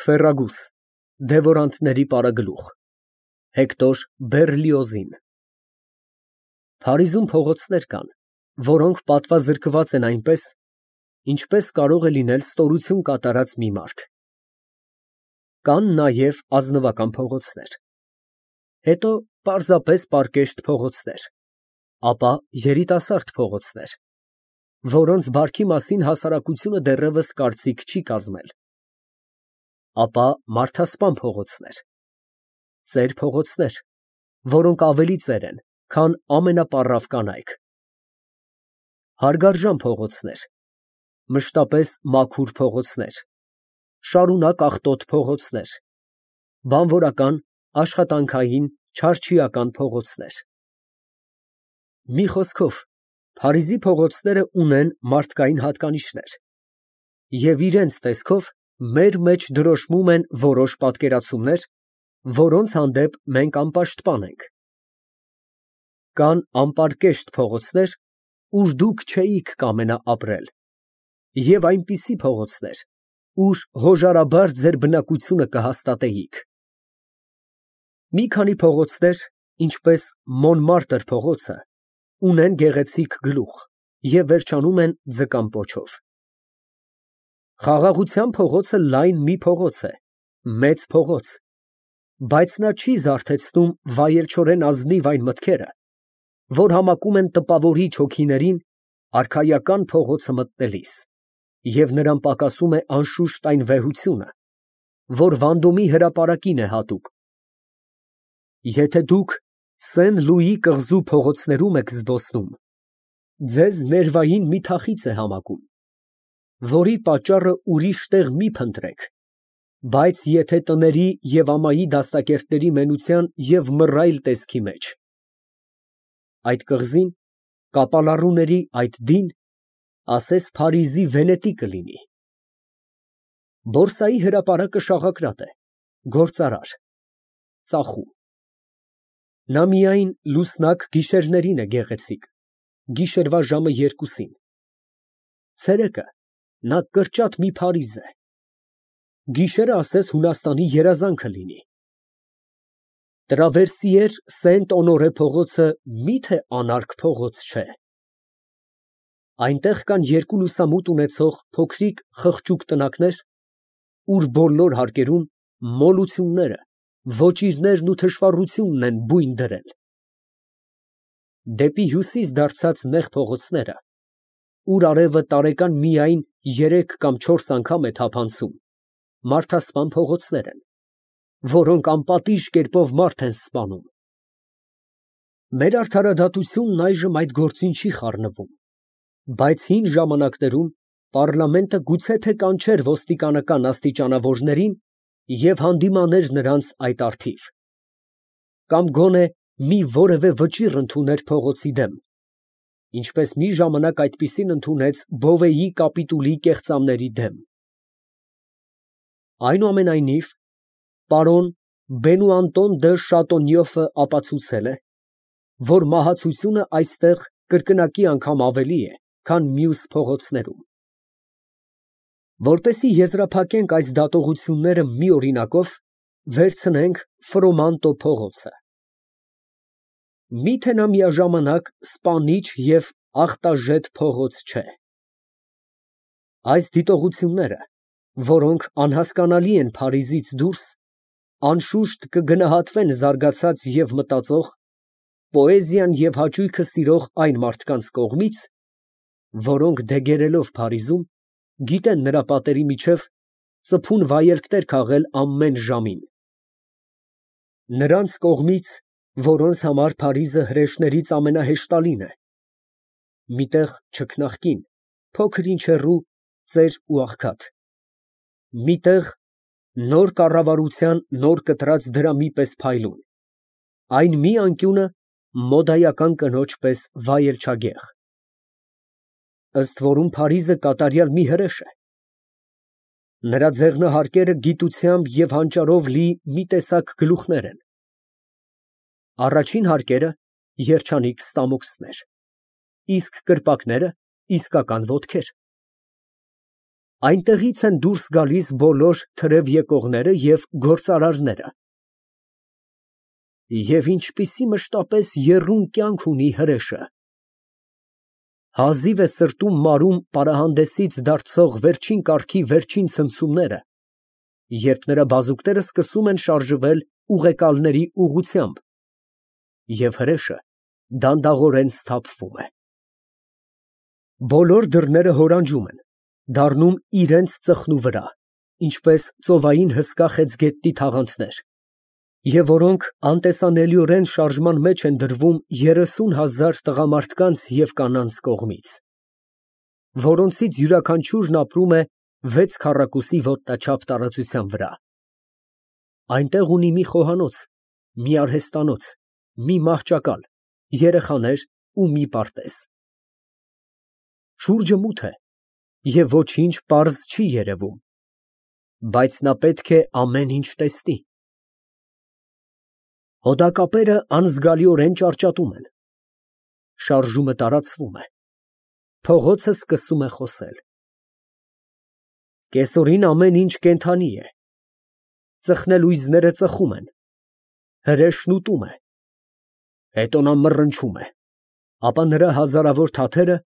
Ֆերրագուս, դևորանտների պարագլուխ, Հեկտոր Բեռլիոզին։ Փարիզում փողոցներ կան, որոնք պատվազրկված են այնպես, ինչպես կարող է լինել ստորություն կատարած մի մարդ։ Կան նաև ազնվական փողոցներ, հետո պարզապես պարկեշտ փողոցներ, ապա երիտասարդ փողոցներ, որոնց բարքի մասին հասարակությունը դեռևս կարծիք չի կազմել, ապա մարդասպան փողոցներ, ծեր փողոցներ, որոնք ավելի ծեր են, քան ամենապառավ կանայք, հարգարժան փողոցներ, մշտապես մաքուր փողոցներ, շարունակ աղտոտ փողոցներ, բանվորական, աշխատանքային, չարչիական փողոցներ։ Մի խոսքով, Փարիզի փողոցները ունեն մարդկային հատկանիշներ և իրենց տեսքով մեր մեջ դրոշմում են որոշ պատկերացումներ, որոնց հանդեպ մենք անպաշտպան ենք։ Կան անպարկեշտ փողոցներ, ուր դուք չէիք կամենա ապրել, և այնպիսի փողոցներ, ուր հոժարաբար ձեր բնակությունը կհաստատեիք։ Մի քանի փողոցներ, ինչպես Մոնմարտր փողոցը, ունեն գեղեցիկ գլուխ և վերջանում են ձկան պոչով։ Խաղաղության փողոցը լայն մի փողոց է, մեծ փողոց, բայց նա չի զարթեցնում վայելչորեն ազնիվ այն մտքերը, որ համակում են տպավորիչ հոգիներին արքայական փողոցը մտնելիս, և նրան պակասում է անշուշտ այն վեհությունը, որ Վանդոմի հրապարակին է հատուկ։ Եթե դուք Սեն֊Լուի կղզու փողոցներում եք զբոսնում, ձեզ ներվային մի թախիծ է համակում, որի պատճառը ուրիշ տեղ մի փնտրեք, բայց եթե տների և ամայի դաստակերտների մենության և մռայլ տեսքի մեջ։ Այդ կղզին, կապալառուների այդ դին, ասես Փարիզի Վենետի կլինի։ Բորսայի հրապարակը շաղակրատ է, գործարար, ծախում։ Նա միայն լուսնակ գիշերներին է գեղեցիկ, գիշերվա ժամը 2-ին, ցերեկը նա կրճատ մի Փարիզ է, գիշերը ասես Հունաստանի երազանքը լինի։ Տրավերսիեր Սենտ֊Օնորե փողոցը մի՞թե անարգ փողոց չէ։ Այնտեղ կան երկու լուսամուտ ունեցող փոքրիկ խղճուկ տնակներ, ուր բոլոր հարկերում մոլությունները, ոճիրներն ու թշվառությունն են բույն դրել։ Դեպի հյուսիս դարձած նեղ փողոցները, ուր արևը տարեկան միայն 3 կամ 4 անգամ է թափանցում, մարդասպան փողոցներ են, որոնք անպատիժ կերպով մարդ են սպանում։ Մեր արդարադատությունն այժմ այդ գործին չի խառնվում, բայց հին ժամանակներում պառլամենտը գուցե թե կանչեր ոստիկանական աստիճանավորներին և հանդիմաներ նրանց այդ առթիվ, կամ գոնե մի որևէ վճիռ ընդուներ փողոցի դեմ, ինչպես մի ժամանակ այդպիսին ընդունեց Բովեի կապիտուլի կեղծամների դեմ։ Այնուամենայնիվ, պարոն Բենուանտոն դը Շատոնյոֆը ապացուցել է, որ մահացությունը այստեղ կրկնակի անգամ ավելի է, քան մյուս փողոցներում։ Որպեսզի եզրափակենք այս դատողությունները մի օրինակով, վերցնենք Ֆրոմանտո փողոցը։ Մի՞թե նա միաժամանակ սպանիչ և ախտաժետ փողոց չէ։ Այս դիտողությունները, որոնք անհասկանալի են Փարիզից դուրս, անշուշտ կգնահատվեն զարգացած և մտածող, պոեզիան և հաճույքը սիրող այն մարդկանց կողմից, որոնք դեգերելով Փարիզում, գիտեն նրա պատերի միջև ծփուն վայելքներ քաղել ամեն ժամին։ Նրանց կողմից, որոնց համար Փարիզը հրեշներից ամենահեշտալին է, մի տեղ չքնաղկին, փոքր ինչ հեռու, ծեր ու աղքատ, մի տեղ նոր կառավարության նոր կտրած դրամի պես փայլուն, այն մի անկյունը մոդայական կնոջ պես վայելչագեղ։ Ըստ որում Փարիզը կատարյալ մի հրեշ է։ Նրա ձեղնահարկերը գիտությամբ և հանճարով լի մի տեսակ գլուխներ են։ Առաջին հարկերը երջանիկ ստամոքսներ, իսկ կրպակները իսկական ոտքեր։ Այնտեղից են դուրս գալիս բոլոր թրև եկողները և գործարարները։ Եվ ինչպիսի մշտապես եռուն կյանք ունի հրեշը։ Հազիվ է սրտում մարում պարահանդեսից դարձող վերջին կարգի վերջին ցնցումները, երբ նրա բազուկները սկսում են շարժվել ուղեկալների ուղղությամբ, և հրեշը դանդաղորեն սթափվում է։ Բոլոր դռները հորանջում են, դառնում իրենց ծխնու վրա, ինչպես ծովային հսկա խեցգետնի թաղանթներ, և որոնք անտեսանելիորեն շարժման մեջ են դրվում 30,000 տղամարդկանց և կանանց կողմից, որոնցից յուրաքանչյուրն ապրում է 6 քառակուսի ոտնաչափ տարածության վրա։ Այնտեղ ունի մի խոհանոց, մի արհեստանոց, մի մահճակալ, երեխաներ ու մի պարտեզ։ Շուրջը մութ է և ոչինչ պարզ չի երևում, բայց նա պետք է ամեն ինչ տեսնի։ Հոդակապերը անզգալիորեն ճարճատում են, շարժումը տարածվում է, փողոցը սկսում է խոսել։ Կեսօրին ամեն ինչ կենդանի է, ծխնելույզները ծխում են, հրեշն ուտում է, հետո նա մռնչում է, ապա նրա հազարավոր թաթերը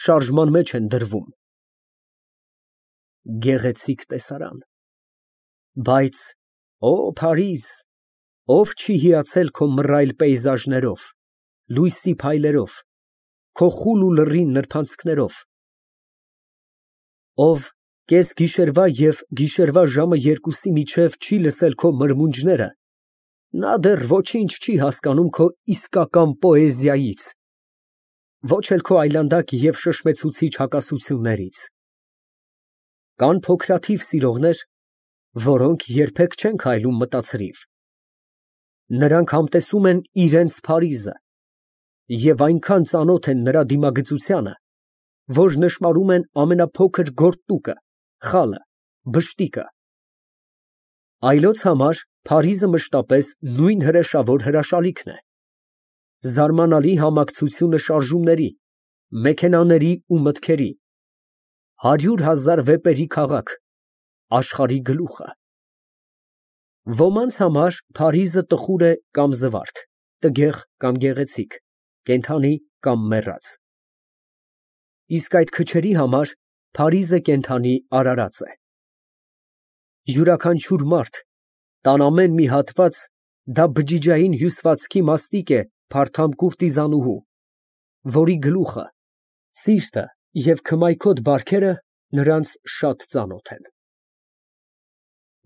շարժման մեջ են դրվում։ Գեղեցիկ տեսարան, բայց օ Փարիզ, ով չի հիացել քո մռայլ պեյզաժներով, լույսի փայլերով, քո խուլ ու լռին նրբանցքներով, ով կեսգիշերվա և գիշերվա ժամը 2-ի միջև չի լսել քո մրմունջները, նա դեռ ոչինչ չի հասկանում քո իսկական պոեզիայից, ոչ էլ քո այլանդակ և շշմեցուցիչ հակասություններից։ Կան փոքրաթիվ սիրողներ, որոնք երբեք չեն քայլում մտացրիվ։ Նրանք համտեսում են իրենց Փարիզը և այնքան ծանոթ են նրա դիմագծությանը, որ նշմարում են ամենափոքր գորտուկը, խալը, բշտիկը։ Այլոց համար Փարիզը մշտապես նույն հրեշավոր հրաշալիքն է, զարմանալի համակցությունը շարժումների, մեքենաների ու մտքերի, 100,000 վեպերի քաղաք, աշխարհի գլուխը։ Ոմանց համար Փարիզը տխուր է կամ զվարթ, տգեղ կամ գեղեցիկ, կենդանի կամ մեռած։ Իսկ այդ քչերի համար Փարիզը կենդանի արարած է։ Յուրաքանչյուր մարդ, տան ամեն մի հատված, դա բջիջային հյուսվածքի մաստիկ է փարթամ կուրտիզանուհու, որի գլուխը, սիրտը և քմայքոտ բարքերը նրանց շատ ծանոթ են։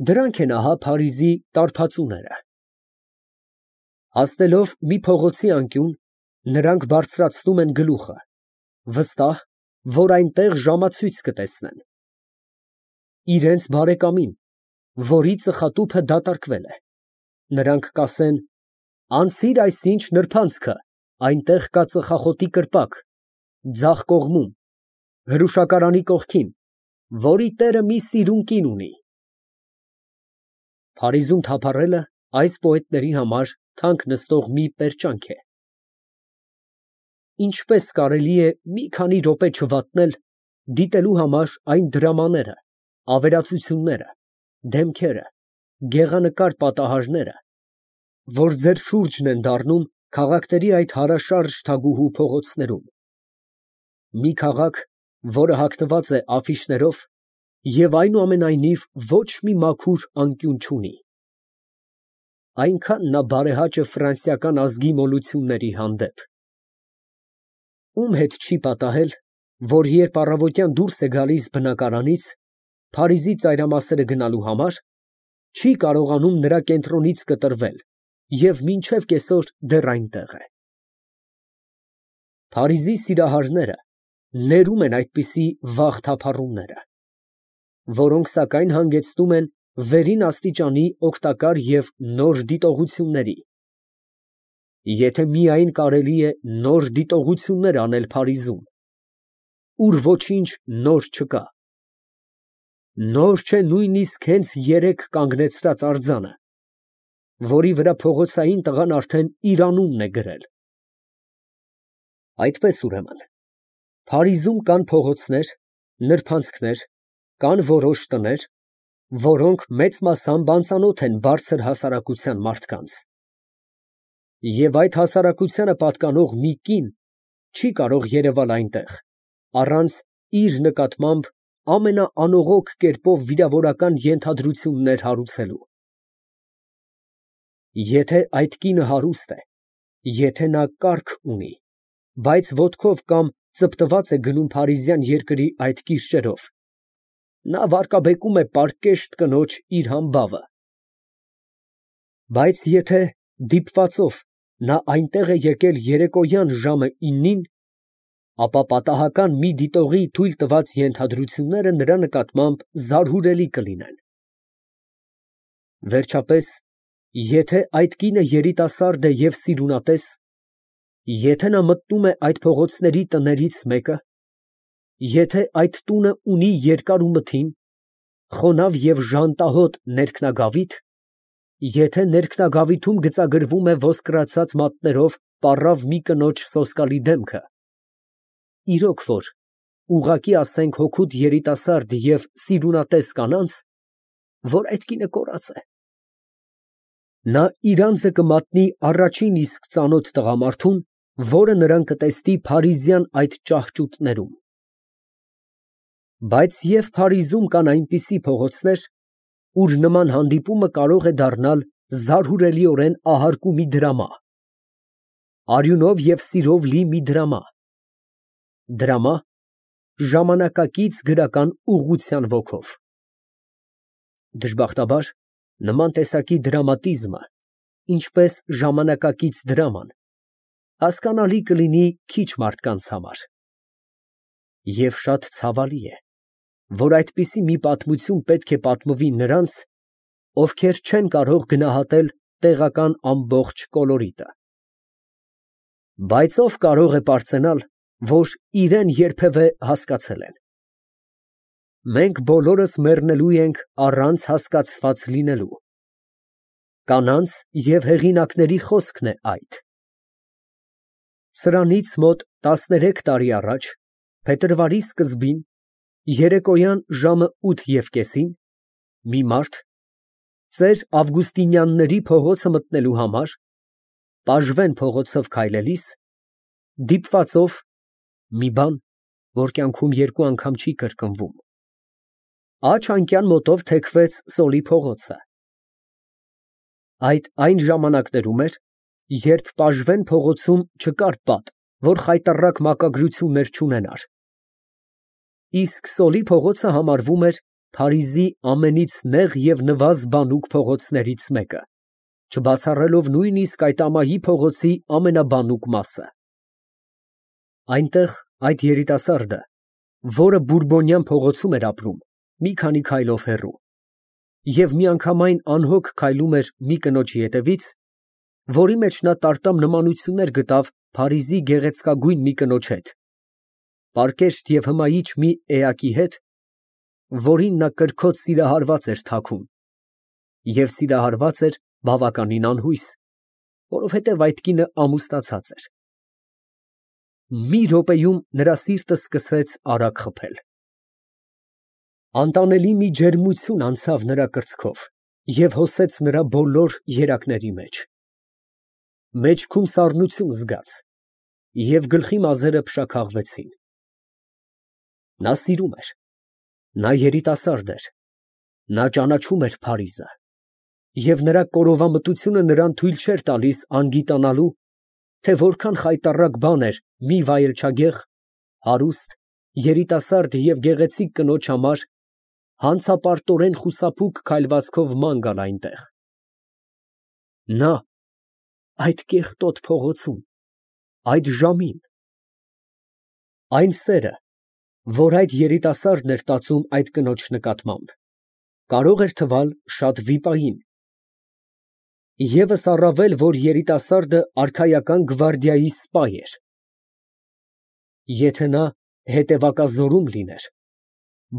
Դրանք են ահա Փարիզի տարբացուները։ Հասնելով մի փողոցի անկյուն, նրանք բարձրացնում են գլուխը, վստահ, որ այնտեղ ժամացույց կտեսնեն։ Իրենց բարեկամին, որի ծխատուփը դատարկվել է, նրանք կասեն. «Անցիր այսինչ նրբանցքը, այնտեղ կա ծխախոտի կրպակ, ձախ կողմում, հրուշակարանի կողքին, որի տերը մի սիրուն կին ունի»։ Փարիզում թափառելը այս պոետների համար թանկ նստող մի պերճանք է։ Ինչպես կարելի է մի քանի րոպե չվատնել, դիտելու համար այն դրամաները, ավերածությունները, դեմքերը, գեղանկար պատահարները, որ ձեր շուրջն են դառնում քաղաքների այդ հարաշարժ թագուհու փողոցներում։ Մի քաղաք, որը հագնված է աֆիշներով և այնուամենայնիվ ոչ մի մաքուր անկյուն չունի։ Այնքան նա բարեհաճ է ֆրանսիական ազգի մոլությունների հանդեպ։ Ում հետ չի պատահել, որ երբ առավոտյան դուրս է գալիս բնակարանից, Փարիզի ծայրամասերը գնալու համար, չի կարողանում նրա կենտրոնից կտրվել և մինչև կեսօր դեռ այնտեղ է։ Փարիզի սիրահարները ներում են այդպիսի վաղ թափառումները, որոնք սակայն հանգեցնում են վերին աստիճանի օգտակար և նոր դիտողությունների։ Եթե միայն կարելի է նոր դիտողություններ անել Փարիզում, ուր ոչինչ նոր չկա։ Նոր չէ նույնիսկ հենց երեկ կանգնեցրած արձանը, որի վրա փողոցային տղան արդեն իր անունն է գրել։ Այդպես ուրեմն, Փարիզում կան փողոցներ, նրբանցքներ, Կան որոշ տներ, որոնք մեծ մասամբ անծանոթ են բարձր հասարակության մարդկանց, և այդ հասարակությանը պատկանող մի կին չի կարող երևալ այնտեղ, առանց իր նկատմամբ ամենաանողոք կերպով վիրավորական ենթադրություններ հարուցելու։ Եթե այդ կինը հարուստ է, եթե նա կառք ունի, բայց ոտքով կամ ծպտված է գնում փարիզյան երկրի այդ կիրճերով, նա վարկաբեկում է պարկեշտ կնոջ իր համբավը։ Բայց եթե դիպվածով նա այնտեղ է եկել երեկոյան ժամը 9-ին, ապա պատահական մի դիտողի թույլ տված ենթադրությունները նրա նկատմամբ զարհուրելի կլինեն։ Վերջապես, եթե այդ կինը երիտասարդ է և սիրունատես, եթե նա մտնում է այդ փողոցների տներից մեկը, եթե այդ տունը ունի երկար ու մթին, խոնավ և ժանտահոտ ներքնագավիթ, եթե ներքնագավիթում գծագրվում է ոսկրացած մատներով պառավ մի կնոջ սոսկալի դեմքը, իրոք որ, ուղղակի ասենք հոգուտ երիտասարդ և սիրունատես կանանց, որ այդ կինը կորած է։ Նա իր անձը կմատնի առաջին իսկ ծանոթ տղամարդուն, որը նրան կտեսնի փարիզյան այդ ճահճուտներում։ Բայց և Փարիզում կան այնպիսի փողոցներ, ուր նման հանդիպումը կարող է դառնալ զարհուրելիորեն ահարկու մի դրամա, արյունով և սիրով լի մի դրամա, ժամանակակից գրական ուղղության ոգով։ Դժբախտաբար, նման տեսակի դրամատիզմը, ինչպես ժամանակակից դրաման, հասկանալի կլինի քիչ մարդկանց համար։ Եվ շատ ցավալի է, որ այդպիսի մի պատմություն պետք է պատմվի նրանց, ովքեր չեն կարող գնահատել տեղական ամբողջ կոլորիտը։ Բայց ով կարող է պարծենալ, որ իրեն երբևէ հասկացել են։ Մենք բոլորս մեռնելու ենք առանց հասկացված լինելու։ Կանանց և հեղինակների խոսքն է այդ։ Սրանից մոտ 13 տարի առաջ, փետրվարի սկզբին, երեկոյան ժամը 8:30-ին, մի մարդ, ծեր Ավգուստինյանների փողոցը մտնելու համար, Պաժվեն փողոցով քայլելիս, դիպվածով մի բան, որ կյանքում երկու անգամ չի կրկնվում, աջ անկյան մոտով թեքվեց Սոլի փողոցը։ Այդ այն ժամանակներում էր, երբ Պաժվեն փողոցում չկար պատ, որ խայտառակ մակագրություններ չունենար, իսկ Սոլի փողոցը համարվում էր Փարիզի ամենից նեղ և նվազ բանուկ փողոցներից մեկը, չբացառելով նույնիսկ այդ ամայի փողոցի ամենաբանուկ մասը։ Այնտեղ այդ երիտասարդը, որը Բուրբոնյան փողոցում էր ապրում, մի քանի քայլով հեռու, և միանգամայն անհոգ քայլում էր մի կնոջ ետևից, որի մեջ նա տարտամ նմանություններ գտավ Փարիզի գեղեցկագույն մի կնոջ հետ, պարկեշտ և հմայիչ մի էակի հետ, որին նա կրքոտ սիրահարված էր թաքում, և սիրահարված էր բավականին անհույս, որովհետև այդ կինը ամուսնացած էր։ Մի րոպեում նրա սիրտը սկսեց արագ խփել։ Անտանելի մի ջերմություն անցավ նրա կրծքով և հոսեց նրա բոլոր երակների մեջ։ Մեջքում սառնություն զգաց, և գլխի մազերը փշաքաղվեցին։ Նա սիրում էր, նա երիտասարդ էր, նա ճանաչում էր Փարիզը, և նրա կորովամտությունը նրան թույլ չէր տալիս անգիտանալու, թե որքան խայտառակ բան էր մի վայելչագեղ, հարուստ, երիտասարդ և գեղեցիկ կնոջ համար հանցապարտորեն խուսափուկ քայլվածքով ման գալ այնտեղ։ Նա այդ կեղտոտ փողոցում, այդ ժամին։ Այն սերը, որ այդ երիտասարդն էր տածում այդ կնոջ նկատմամբ, կարող էր թվալ շատ վիպային, ևս առավել, որ երիտասարդը արքայական գվարդիայի սպա էր։ Եթե նա հետևակազորում լիներ,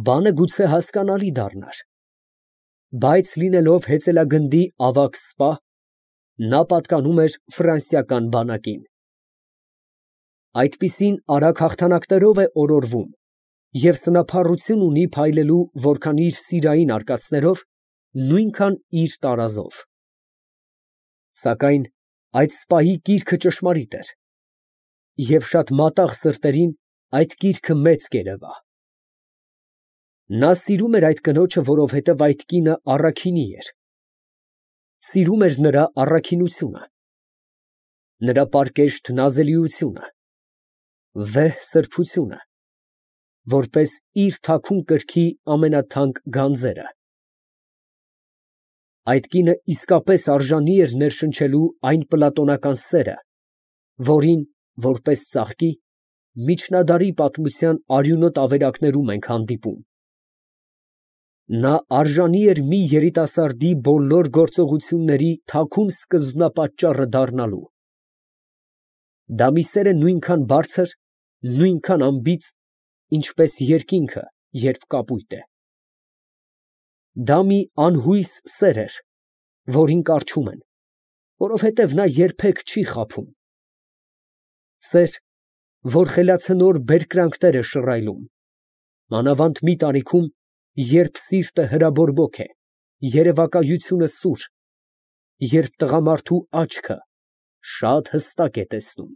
բանը գուցե հասկանալի դառնար, բայց լինելով հեծելագնդի ավագ սպա, նա պատկանում էր ֆրանսիական բանակին։ Այդպիսին արագ հաղթանակներով է օրորվում, Եվ սնափառություն ունի փայլելու որքան իր սիրային արկածներով, նույնքան իր տարազով։ Սակայն այդ սպայի կիրքը ճշմարիտ էր, և շատ մատաղ սրտերին այդ կիրքը մեծ կերևա։ Նա սիրում էր այդ կնոջը, որովհետև այդ կինը առաքինի էր, սիրում էր նրա առաքինությունը, նրա պարկեշտ նազելիությունը, վեհ սրբությունը, որպես իր թաքուն կրքի ամենաթանկ գանձերը։ Այդ կինը իսկապես արժանի էր ներշնչելու այն պլատոնական սերը, որին, որպես ծաղկի, միջնադարի պատմության արյունոտ ավերակներում ենք հանդիպում։ Նա արժանի էր մի երիտասարդի բոլոր գործողությունների թաքուն սկզբնապատճառը դառնալու։ Դա մի սեր է նույնքան բարձր, նույնքան անբիծ, ինչպես երկինքը, երբ կապույտ է։ Դա մի անհույս սեր էր, որին կառչում են, որովհետև նա երբեք չի խաբում։ Սեր, որ խելացնոր բերկրանքներ է շռայլում, մանավանդ մի տարիքում, երբ սիրտը հրաբորբոք է, երևակայությունը սուր, երբ տղամարդու աչքը շատ հստակ է տեսնում։